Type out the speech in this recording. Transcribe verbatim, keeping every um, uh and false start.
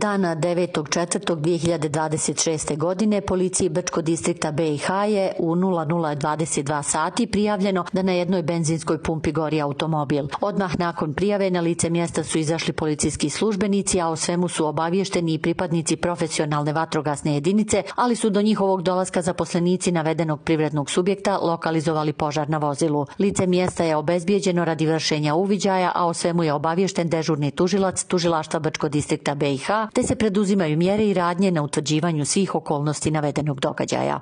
Dana devetog četvrtog dve hiljade dvadeset šeste. godine policiji Brčkog distrikta be i ha je u nula nula dvadeset dva sati prijavljeno da na jednoj benzinskoj pumpi gori automobil. Odmah nakon prijave na lice mjesta su izašli policijski službenici, a o svemu su obavješteni i pripadnici profesionalne vatrogasne jedinice, ali su do njihovog dolaska zaposlenici navedenog privrednog subjekta lokalizovali požar na vozilu. Lice mjesta je obezbijeđeno radi vršenja uviđaja, a o svemu je obaviješten dežurni tužilac Tužilaštva Brčkog distrikta be i ha, te se preduzimaju mjere i radnje na utvrđivanju svih okolnosti navedenog događaja.